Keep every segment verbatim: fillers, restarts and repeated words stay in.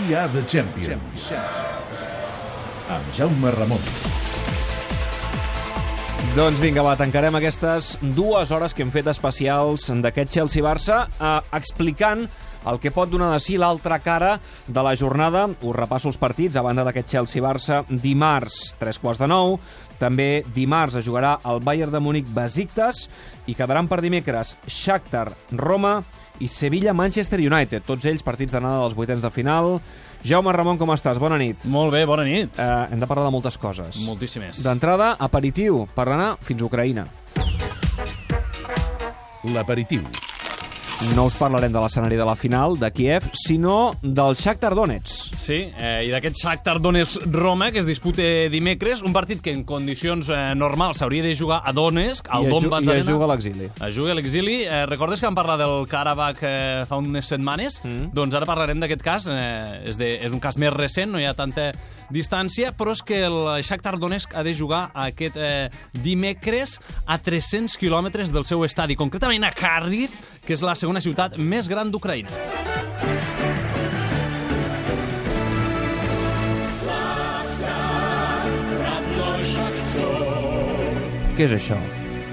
We Are The Champions, amb Jaume Ramon. Doncs vinga, va, tancarem aquestes dues hores que hem fet especials d'aquest Chelsea-Barça eh, explicant el que pot donar de si l'altra cara de la jornada. Us repasso els partits a banda d'aquest Chelsea-Barça. Dimarts, tres quarts de nou. També dimarts es jugarà el Bayern de Múnich-Besiktas i quedaran per dimecres Shakhtar-Roma i Sevilla-Manchester United. Tots ells partits d'anada dels vuitens de final. Jaume Ramon, com estàs? Bona nit. Molt bé, bona nit. Eh, hem de parlar de moltes coses. Moltíssimes. D'entrada, aperitiu, per anar fins a Ucraïna. L'aperitiu. No us parlarem de l'escenari de la final de Kiev, sinó del Shakhtar Donetsk. Sí, eh, i d'aquest Shakhtar Donetsk-Roma, que es disputa dimecres, un partit que en condicions eh, normals s'hauria de jugar a Donetsk, al I, Donbass I Arena. es juga a l'exili. Es juga a l'exili. Eh, recordes que vam parlar del Karabakh eh, fa unes setmanes? Mm. Doncs ara parlarem d'aquest cas. Eh, és, de, és un cas més recent, no hi ha tanta distància, però és que el Shakhtar Donetsk ha de jugar aquest eh, dimecres a tres-cents quilòmetres del seu estadi, concretament a Kharkiv, que és la segona ciutat més gran d'Ucraïna. Què és això?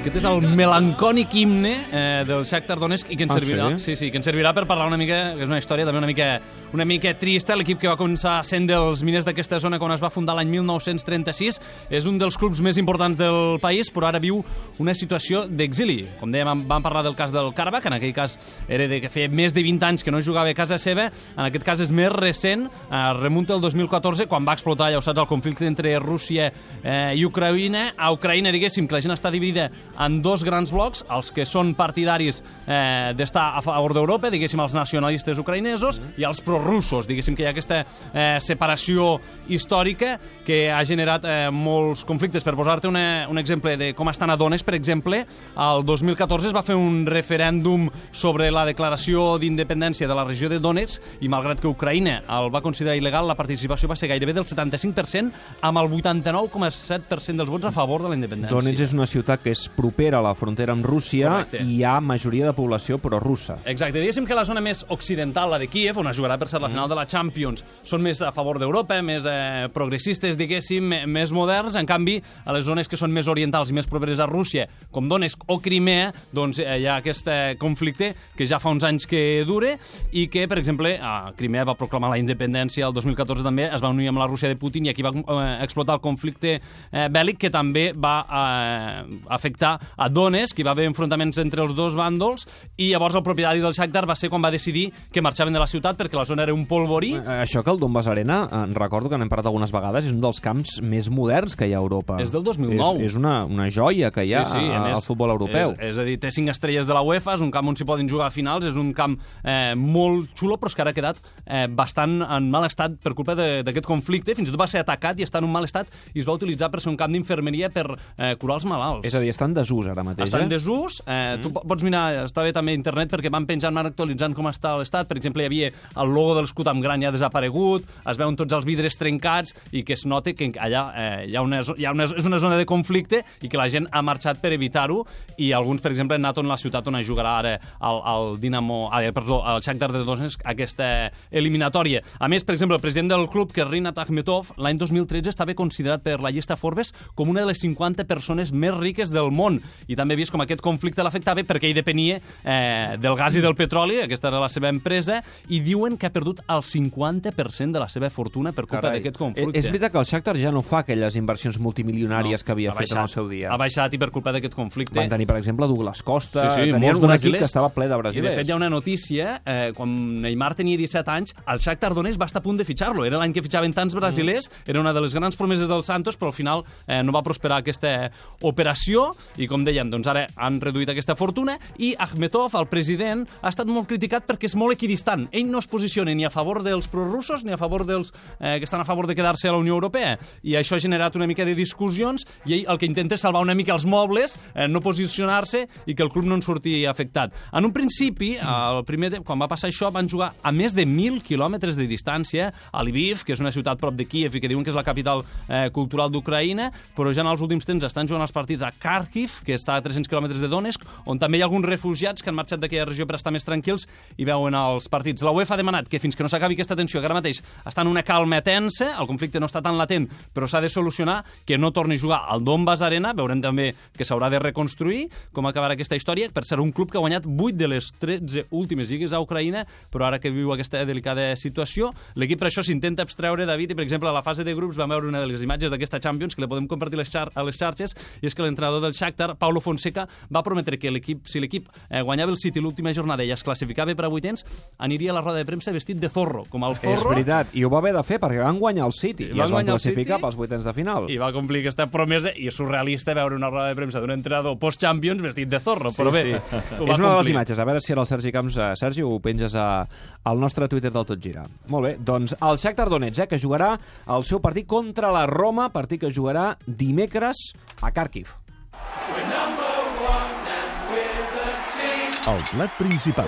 Aquest és el melancònic himne eh, del Shakhtar Donetsk i que ens Ah, servirà, sí? sí, sí, que ens servirà per parlar una mica, que és una història també una mica una mica trista. L'equip que va començar sent dels miners d'aquesta zona quan es va fundar l'any mil nou-cents trenta-sis és un dels clubs més importants del país, però ara viu una situació d'exili. Com dèiem, vam parlar del cas del Karabakh, en aquell cas era de que feia més de vint anys que no jugava a casa seva, en aquest cas és més recent, eh, remunta el dos mil catorze, quan va explotar, ja ho saps, el conflicte entre Rússia eh, i Ucraïna. A Ucraïna, diguéssim, que la gent està dividida en dos grans blocs, els que són partidaris eh, d'estar a favor d'Europa, diguéssim, els nacionalistes ucraïnesos, mm. i els prorussos, diguéssim, que hi ha aquesta eh, separació històrica que ha generat eh, molts conflictes. Per posar-te una, un exemple de com estan a Donetsk, per exemple, el dos mil catorze es va fer un referèndum sobre la declaració d'independència de la regió de Donetsk i malgrat que Ucraïna el va considerar il·legal, la participació va ser gairebé del setanta-cinc per cent amb el vuitanta-nou coma set per cent dels vots a favor de la independència. Donetsk és una ciutat que és propera a la frontera amb Rússia. Correcte. I hi ha majoria de població prorussa. Exacte, diguéssim que la zona més occidental, la de Kíev, on es jugarà per ser la final de la Champions, són més a favor d'Europa, més eh, progressistes, diguéssim, més moderns. En canvi, a les zones que són més orientals i més properes a Rússia, com Donetsk o Crimea, doncs eh, hi ha aquest eh, conflicte que ja fa uns anys que dure i que, per exemple, a Crimea va proclamar la independència el dos mil catorze també, es va unir amb la Rússia de Putin i aquí va eh, explotar el conflicte eh, bèl·lic que també va eh, afectar a Donetsk, hi va haver enfrontaments entre els dos bàndols i llavors el propietari del Shakhtar va ser quan va decidir que marxaven de la ciutat perquè la zona era un polvorí. Eh, Això que el Donbass Arena, eh, recordo que n'hem parlat algunes vegades, és un dels camps més moderns que hi ha a Europa. És del dos mil nou. És, és una, una joia que hi ha sí, sí, a, més, al futbol europeu. És, és a dir, té cinc estrelles de la UEFA, és un camp on s'hi poden jugar a finals, és un camp eh, molt xulo, però és que ara ha quedat eh, bastant en mal estat per culpa d'aquest conflicte. Fins i tot va ser atacat i està en un mal estat i es va utilitzar per ser un camp d'infermeria per eh, curar els malalts. És a dir, està en desús ara mateix. Està eh? en desús. Eh, mm. Tu pots mirar, està bé també a internet perquè van penjant, van actualitzant com està l'estat. Per exemple, hi havia el logo de l'escut amb gran ja desaparegut, es veuen tots els vidres trencats i que es nota que allà eh, hi ha una, hi ha una, és una zona de conflicte i que la gent ha marxat per evitar-ho i alguns, per exemple, han anat a la ciutat on es jugarà ara el, el Dinamo, ah, perdó, el Shakhtar de Donetsk, aquesta eliminatòria. A més, per exemple, el president del club, que és Rinat Akhmetov, l'any dos mil tretze estava considerat per la llista Forbes com una de les cinquanta persones més riques del món i també he vist com aquest conflicte l'afectava perquè ell depenia eh, del gas i del petroli, aquesta era la seva empresa, i diuen que ha perdut el cinquanta per cent de la seva fortuna per culpa d'aquest conflicte. És veritat que el Shakhtar ja no fa aquelles inversions multimilionàries no, que havia fet baixat, en el seu dia. Ha baixat i per culpa d'aquest conflicte. Van tenir, per exemple, Douglas Costa, sí, sí, tenien un brasilers. equip que estava ple de brasilers. I de fet hi ha una notícia, eh, quan Neymar tenia disset anys, el Shakhtar Donetsk va estar a punt de fitxar-lo. Era l'any que fitxaven tants brasilers, mm. era una de les grans promeses del Santos, però al final eh, no va prosperar aquesta operació i, com dèiem, doncs ara han reduït aquesta fortuna i Akhmetov, el president, ha estat molt criticat perquè és molt equidistant. Ell no es posiciona ni a favor dels prorussos ni a favor dels eh, que estan a favor de quedar-se a la Unió Europea, europea. I això ha generat una mica de discussions i ell el que intenta és salvar una mica els mobles, eh, no posicionar-se i que el club no en surti afectat. En un principi, el primer temps, quan va passar això, van jugar a més de mil quilòmetres de distància a Lviv, que és una ciutat prop de Kíev i que diuen que és la capital eh, cultural d'Ucraïna, però ja en els últims temps estan jugant els partits a Kharkiv, que està a tres-cents quilòmetres de Donetsk, on també hi ha alguns refugiats que han marxat d'aquella regió per estar més tranquils i veuen els partits. La UEFA ha demanat que fins que no s'acabi aquesta tensió, que ara mateix està en una calma tensa, el conflicte no està tan latent, però s'ha de solucionar, que no torni a jugar al Donbass Arena. Veurem també que s'haurà de reconstruir com acabarà aquesta història, per ser un club que ha guanyat vuit de les tretze últimes lligues a Ucraïna, però ara que viu aquesta delicada situació, l'equip per això s'intenta abstreure, David, i per exemple a la fase de grups vam veure una de les imatges d'aquesta Champions que la podem compartir les xar a les xarxes, i és que l'entrenador del Shakhtar, Paulo Fonseca, va prometre que l'equip, si l'equip eh, guanyava el City l'última jornada i es classificava per a vuitens, aniria a la roda de premsa vestit de zorro, com el zorro. És veritat, i ho va haver de fer perquè van guanyar el City i, i es van classificar pels vuitens de final. I va complir aquesta promesa, i és surrealista veure una roda de premsa d'un entrenador post-Champions vestit de zorro, sí, però bé, sí. És una complir. de les imatges, a veure si era el Sergi Camps. Uh, Sergi, ho penges a, al nostre Twitter del Tot Gira. Molt bé, doncs el Shakhtar Donetsk, eh, que jugarà el seu partit contra la Roma, partit que jugarà dimecres a Kharkiv. El plat principal.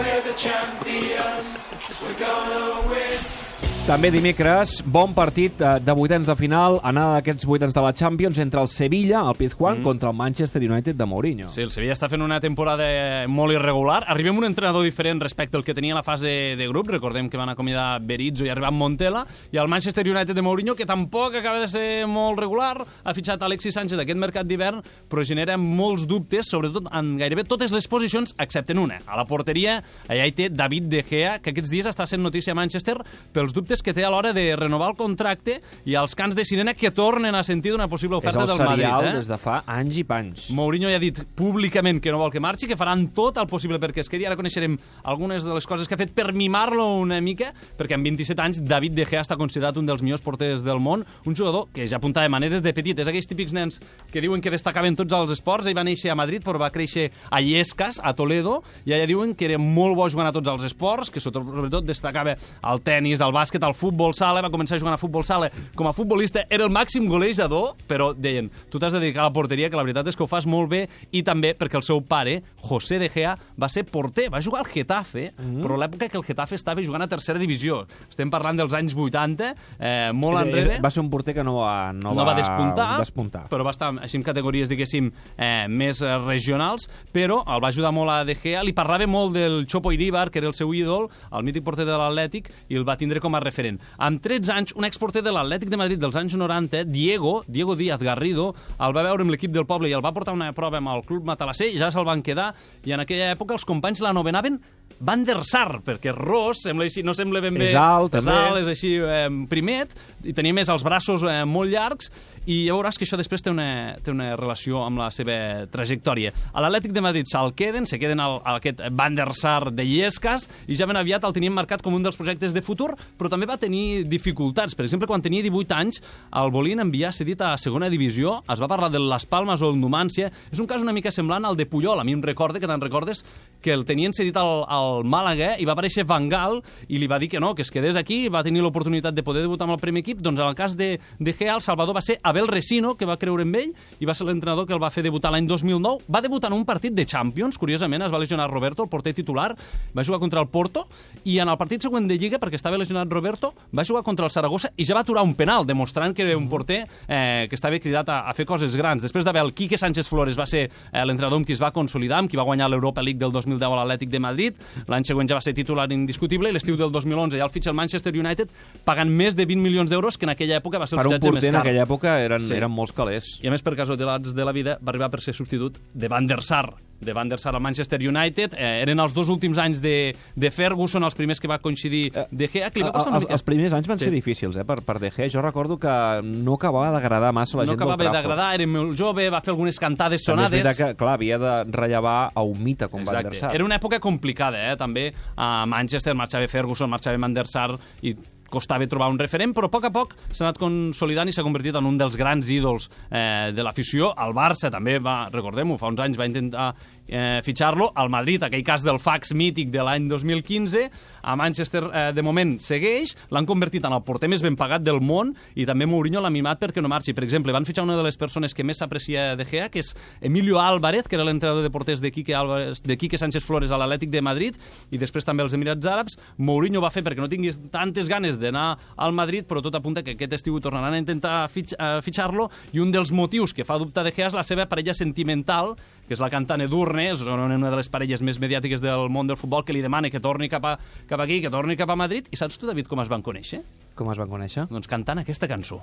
També dimecres, bon partit de vuitens de final, anada d'aquests vuitens de la Champions entre el Sevilla, el Pizjuán, mm. contra el Manchester United de Mourinho. Sí, el Sevilla està fent una temporada molt irregular. Arribem a un entrenador diferent respecte al que tenia la fase de grup. Recordem que van acomiadar Berizzo i arribar Montella. I el Manchester United de Mourinho, que tampoc acaba de ser molt regular, ha fitxat Alexis Sánchez aquest mercat d'hivern, però genera molts dubtes, sobretot en gairebé totes les posicions, excepte en una. A la porteria, allà hi té David De Gea, que aquests dies està sent notícia a Manchester pels dubtes que té a l'hora de renovar el contracte i els cants de sirena que tornen a sentir d'una possible oferta del Madrid. És el serial eh? des de fa anys i panys. Mourinho ja ha dit públicament que no vol que marxi, que faran tot el possible perquè es quedi. Ara coneixerem algunes de les coses que ha fet per mimar-lo una mica, perquè amb vint-i-set anys David De Gea està considerat un dels millors porters del món, un jugador que ja apuntava maneres de petit. És aquells típics nens que diuen que destacaven tots els esports. Ell va néixer a Madrid, però va créixer a Illescas, a Toledo, i allà diuen que era molt bo jugant a tots els esports, que sobretot destacava el tenis, el bàsquet, el futbol sala, va començar jugant a futbol sala com a futbolista, era el màxim golejador, però deien, tu t'has de dedicar a la porteria, que la veritat és que ho fas molt bé, i també perquè el seu pare, José De Gea, va ser porter, va jugar al Getafe, mm. però l'època que el Getafe estava jugant a tercera divisió. Estem parlant dels anys vuitanta, eh, molt enrere. Va ser un porter que no va, no no va, va despuntar, despuntar, però va estar així en categories, diguéssim, eh, més regionals, però el va ajudar molt a De Gea, li parlava molt del Chopo Iríbar, que era el seu ídol, el mític porter de l'Atlètic, i el va tindre com a referent. Amb tretze anys, un exporter de l'Atlètic de Madrid dels anys noranta, Diego, Diego Díaz Garrido, el va veure amb l'equip del poble i el va portar una prova amb el club Matalasser, ja se'l van quedar, i en aquella època els companys l'anomenaven Van der Sar, perquè Ros sembla així, no sembla ben bé... És alt, és també. alt, és així eh, primet, i tenia més els braços eh, molt llargs, i ja veuràs que això després té una, té una relació amb la seva trajectòria. A l'Atlètic de Madrid se'l queden, se queden al, a aquest Van der Sar de Illescas, i ja ben aviat el tenien marcat com un dels projectes de futur, però també va tenir dificultats. Per exemple, quan tenia divuit anys, el volien enviar cedit a segona divisió, es va parlar de Las Palmas o el Numància. És un cas una mica semblant al de Puyol. A mi em recorda, que te'n recordes, que el tenien cedit al, al Màlaga i va aparèixer Van Gaal i li va dir que no, que es quedés aquí, va tenir l'oportunitat de poder debutar amb el primer equip. Doncs en el cas de, de Gea, el Salvador va ser Abel Resino, que va creure en ell i va ser l'entrenador que el va fer debutar l'any dos mil nou. Va debutar en un partit de Champions, curiosament es va lesionar Roberto, el porter titular, va jugar contra el Porto, i en el partit següent de Lliga, perquè estava lesionat Roberto, va jugar contra el Saragossa i ja va aturar un penal, demostrant que era un porter eh, que estava cridat a, a fer coses grans. Després d'haver el Quique Sánchez Flores va ser eh, l'entrenador amb qui es va consolidar, amb qui va guanyar l'Europa League del dos mil deu a l'Atlètic de Madrid. L'any següent ja va ser titular indiscutible, i l'estiu del dos mil onze ja el fitxa el Manchester United pagant més de vint milions d'euros, que en aquella època va ser el per un fitxatge més porter car. en aquella època eren, Sí. eren molts calés. I a més, per casualitats de la vida, va arribar per ser substitut de Van der Sar, de Van der Sar al Manchester United. Eh, eren els dos últims anys de, de Ferguson, els primers que va coincidir De Gea. Que li va costar una els, mica... els primers anys van Sí. ser difícils, eh, per, per De Gea. Jo recordo que no acabava d'agradar massa la No gent del acabava Trafford. d'agradar, era molt jove, va fer algunes cantades També és sonades. veritat que, clar, havia de rellevar a un mite com Van der Sar. Era una època complicada, eh? També a Manchester marxava Ferguson, marxava Van der Sar, i costava trobar un referent, però a poc a poc s'ha anat consolidant i s'ha convertit en un dels grans ídols eh, de l'afició. El Barça també va, recordem-ho, fa uns anys va intentar eh, fitxar-lo. Al Madrid, aquell cas del fax mític de l'any dos mil quinze, a Manchester eh, de moment segueix, l'han convertit en el porter més ben pagat del món i també Mourinho l'ha mimat perquè no marxi. Per exemple, van fitxar una de les persones que més s'aprecia de Gea, que és Emilio Álvarez, que era l'entrenador de porters de Quique, Álvarez, de Quique Sánchez Flores a l'Atlètic de Madrid, i després també als Emirats Àrabs. Mourinho va fer perquè no tingués tantes ganes d'anar al Madrid, però tot apunta que aquest estiu tornaran a intentar fitx, uh, fitxar-lo, i un dels motius que fa dubtar de Gea és la seva parella sentimental, que és la cantant Edurne, és una de les parelles més mediàtiques del món del futbol, que li demana que torni cap, a, cap aquí, que torni cap a Madrid. I saps tu, David, com es van conèixer? Com es van conèixer? Doncs cantant aquesta cançó.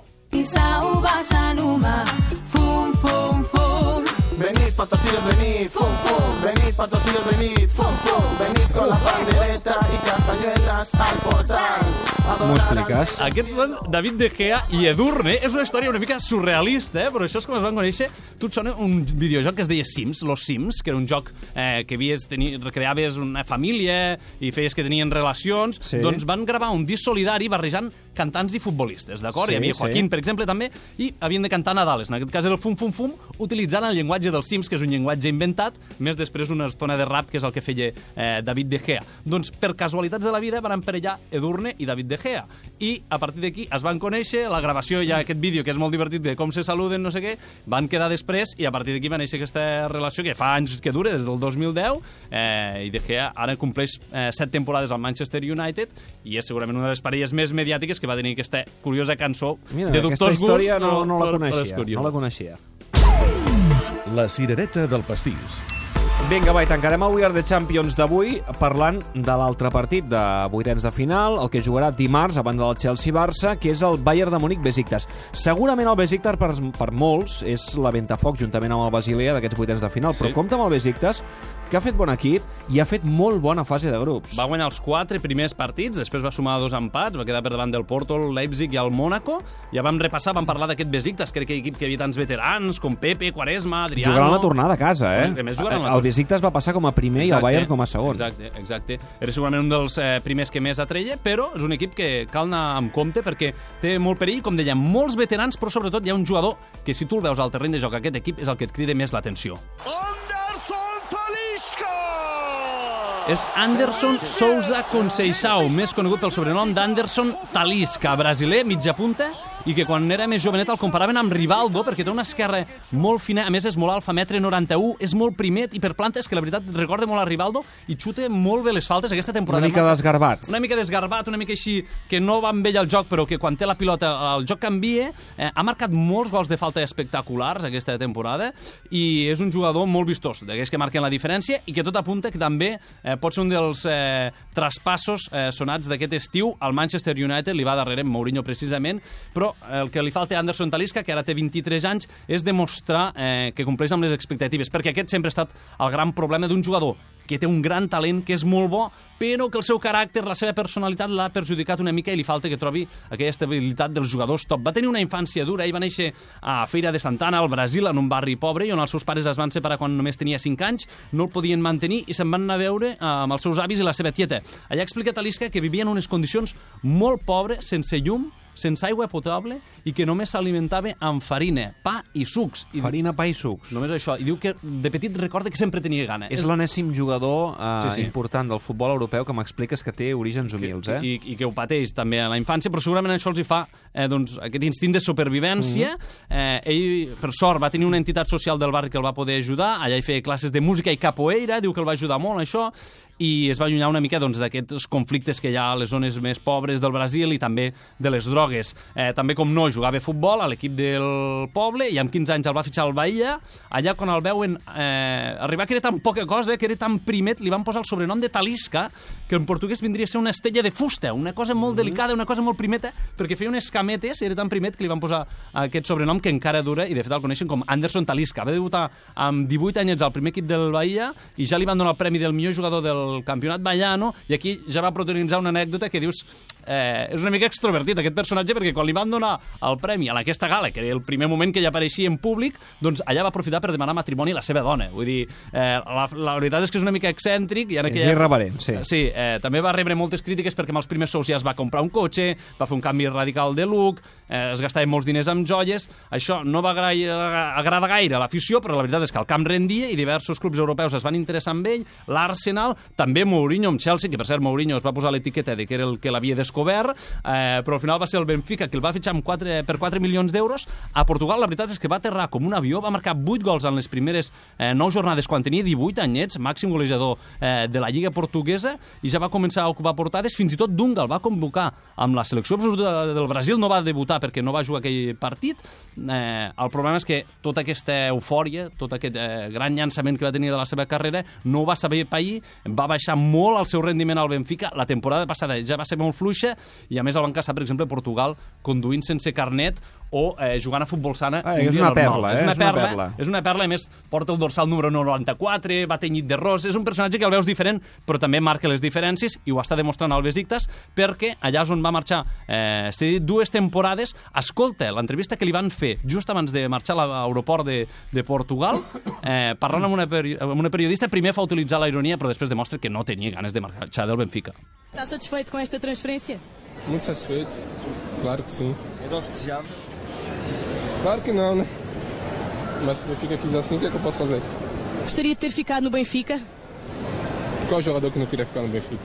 Fum, fum, fum. Venid, patrocidos, venid, fum, fum. Venid, patrocidos, venid, fum, fum. Venid con la pandereta i castanyoles al portal. M'ho expliques? Aquests són David De Gea i Edurne. És una història una mica surrealista, eh? Però això és com es van conèixer. Tu et sona un videojoc que es deia Sims, Los Sims, que era un joc eh, que havies, teni, recreaves una família i feies que tenien relacions. Sí. Doncs van gravar un disc solidari barrejant cantants i futbolistes, d'acord? Sí, Hi havia Joaquín, sí. per exemple, també, i havien de cantar Nadales. En aquest cas era el fum, fum, fum, utilitzant el llenguatge dels Sims, que és un llenguatge inventat, més després una estona de rap, que és el que feia eh, David De Gea. Doncs, per casualitats de la vida, van emparellar Edurne i David De Gea. I, a partir d'aquí, es van conèixer, la gravació, hi ha aquest vídeo que és molt divertit de com se saluden, no sé què, van quedar després, i a partir d'aquí va néixer aquesta relació, que fa anys que dura, des del dos mil deu, eh, i De Gea ara compleix eh, set temporades al Manchester United, i és segurament una de les parelles més mediàtiques que va tenir aquesta curiosa cançó. Mira, de aquesta dubtós història gust, no, no la però- però coneixia. és curiós. No la coneixia. La cirereta del pastís. Vinga, va, i tancarem el We Are the Champions d'avui parlant de l'altre partit de vuitens de final, el que jugarà dimarts a banda del Chelsea-Barça, que és el Bayern de Múnich-Besiktas. Segurament el Besiktas per, per molts és la ventafocs juntament amb el Basilea d'aquests vuitens de final, però Sí. compta amb el Besiktas, que ha fet bon equip i ha fet molt bona fase de grups. Va guanyar els quatre primers partits, després va sumar dos empats, va quedar per davant del Porto, el Leipzig i el Mónaco. Ja vam repassar, vam parlar d'aquest Besiktas, que era aquell equip que hi havia tants veterans, com Pepe, Quaresma, Adriano... Jugaran la tornada a casa, eh? A més, jugaran la El Besiktas va passar com a primer Exacte, i el Bayern com a segon. Exacte, exacte. Era segurament un dels eh, primers que més atreia, però és un equip que cal anar amb compte perquè té molt perill, com dèiem, molts veterans, però sobretot hi ha un jugador que, si tu el veus al terreny de joc, aquest equip és el que et crida més l'atenció. Anderson Talisca! És Anderson Sousa Conceição, més conegut pel sobrenom d'Anderson Talisca, brasiler, mitja punta, i que quan era més jovenet el comparaven amb Rivaldo, perquè té una esquerra molt fina, a més és molt alfa, metre noranta-u, és molt primet i per plantes, que la veritat recorda molt a Rivaldo, i xuta molt bé les faltes aquesta temporada. Una mica desgarbat. Una mica desgarbat, una mica així, que no va amb ell al joc, però que quan té la pilota el joc canvia. Eh, ha marcat molts gols de falta espectaculars aquesta temporada, i és un jugador molt vistós, d'aquells que marquen la diferència, i que tot apunta que també eh, pot ser un dels eh, traspassos eh, sonats d'aquest estiu. Al Manchester United li va darrere Mourinho precisament, però el que li falta a Anderson Talisca, que ara té vint-i-tres anys, és demostrar eh, que compleix amb les expectatives, perquè aquest sempre ha estat el gran problema d'un jugador que té un gran talent, que és molt bo, però que el seu caràcter, la seva personalitat l'ha perjudicat una mica i li falta que trobi aquella estabilitat dels jugadors top. Va tenir una infància dura, ell va néixer a Feira de Santana, al Brasil, en un barri pobre, i on els seus pares es van separar quan només tenia cinc anys, no el podien mantenir i se'n van anar a veure amb els seus avis i la seva tieta. Allà explica Talisca que vivia en unes condicions molt pobres, sense llum, sense aigua potable, i que només s'alimentava amb farina, pa i sucs. I Farina, pa i sucs. només això. I diu que de petit recorda que sempre tenia gana. És l'enèsim jugador eh, Sí, sí. important del futbol europeu que m'expliques que té orígens humils, eh? I, i que ho pateix també a la infància, però segurament això els hi fa eh, doncs, aquest instint de supervivència. Mm-hmm. eh, ell, per sort, va tenir una entitat social del barri que el va poder ajudar, allà hi feia classes de música i capoeira, diu que el va ajudar molt, això, i es va allunyar una mica doncs, d'aquests conflictes que hi ha a les zones més pobres del Brasil i també de les drogues. Eh, també, com no, jugava a futbol a l'equip del poble, i amb quinze anys el va fitxar al Bahia. Allà, quan el veuen eh, arribar, que era tan poca cosa, que era tan primet, li van posar el sobrenom de Talisca, que en portuguès vindria a ser una estella de fusta, una cosa molt delicada, una cosa molt primeta, perquè feia unes cametes, i era tan primet que li van posar aquest sobrenom que encara dura, i de fet el coneixen com Anderson Talisca. Va debutar amb divuit anys al primer equip del Bahia, i ja li van donar el premi del millor jugador del al campionat ballano, i aquí ja va protagonitzar una anècdota que dius eh, és una mica extrovertit aquest personatge, perquè quan li van donar el premi a aquesta gala, que era el primer moment que ella apareixia en públic, doncs allà va aprofitar per demanar matrimoni a la seva dona. Vull dir, eh, la, la veritat és que és una mica excèntric. I en aquella... És irreverent, sí. Sí, eh, també va rebre moltes crítiques perquè amb els primers sous ja es va comprar un cotxe, va fer un canvi radical de look, eh, es gastava molts diners amb joies. Això no va agradar gaire a l'afició, però la veritat és que el camp rendia i diversos clubs europeus es van interessar amb ell, l'Arsenal, també Mourinho amb Chelsea, que per cert Mourinho es va posar l'etiqueta de que era el que l'havia descobert, eh, però al final va ser el Benfica que el va fitxar amb quatre, per quatre milions d'euros. A Portugal la veritat és que va aterrar com un avió, va marcar vuit gols en les primeres eh, nou jornades quan tenia divuit anyets, màxim golejador eh, de la Lliga portuguesa, i ja va començar a ocupar portades, fins i tot Dunga el va convocar amb la selecció absoluta del Brasil, no va debutar perquè no va jugar aquell partit. Eh, el problema és que tota aquesta eufòria, tot aquest eh, gran llançament que va tenir de la seva carrera, no va saber pair, va baixar molt el seu rendiment al Benfica, la temporada passada ja va ser molt fluixa, i a més el van caçar, per exemple, a Portugal, conduint sense carnet o eh, jugant a futbol sana. Ah, un és, dia una normal. perla, eh? és una és una perla, perla. És una perla, a més, porta el dorsal número noranta-quatre, va tenyit de ros, és un personatge que el veus diferent, però també marca les diferències, i ho està demostrant al Besiktas, perquè allà on va marxar eh, s'ha dit dues temporades. Escolta l'entrevista que li van fer just abans de marxar a l'aeroport de, de Portugal, eh, parlant amb una, peri amb una periodista, primer fa utilitzar la ironia, però després demostra que no tenia ganes de marxar del Benfica. Está satisfeito com esta transferência? Muito satisfeito, claro que sim. Era o que desejava? Claro que não, né? Mas se o Benfica quis assim, o que é que eu posso fazer? Gostaria de ter ficado no Benfica? Qual jogador que não queria ficar no Benfica?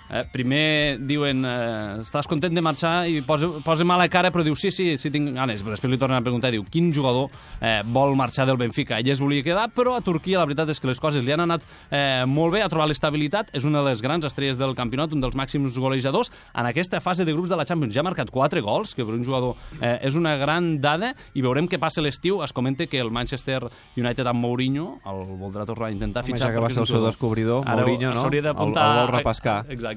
Eh, primer diuen eh, estàs content de marxar, i posa, posa mala cara, però diu sí, sí, sí tinc ganes, però després li tornen a preguntar, diu quin jugador eh, vol marxar del Benfica. Ell es volia quedar, però a Turquia la veritat és que les coses li han anat eh, molt bé, ha trobat l'estabilitat, és una de les grans estrelles del campionat, un dels màxims golejadors en aquesta fase de grups de la Champions. Ja ha marcat quatre gols, que per un jugador eh, és una gran dada, i veurem què passa l'estiu. Es comenta que el Manchester United amb Mourinho el voldrà tornar a intentar fitxar. Home, ja que va ser el seu descobridor, Mourinho, no? S'hauria d'apuntar... El, el vol repescar. Exacte.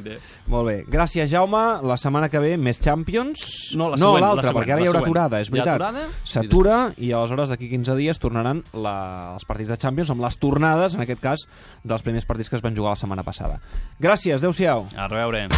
Molt bé. Gràcies, Jaume. La setmana que ve, més Champions. No, la no següent, l'altra, la següent, perquè ara la hi haurà següent. aturada, és veritat. Aturada, s'atura, i aleshores d'aquí quinze dies tornaran la, els partits de Champions amb les tornades, en aquest cas, dels primers partits que es van jugar la setmana passada. Gràcies, adeu-siau. A reveure.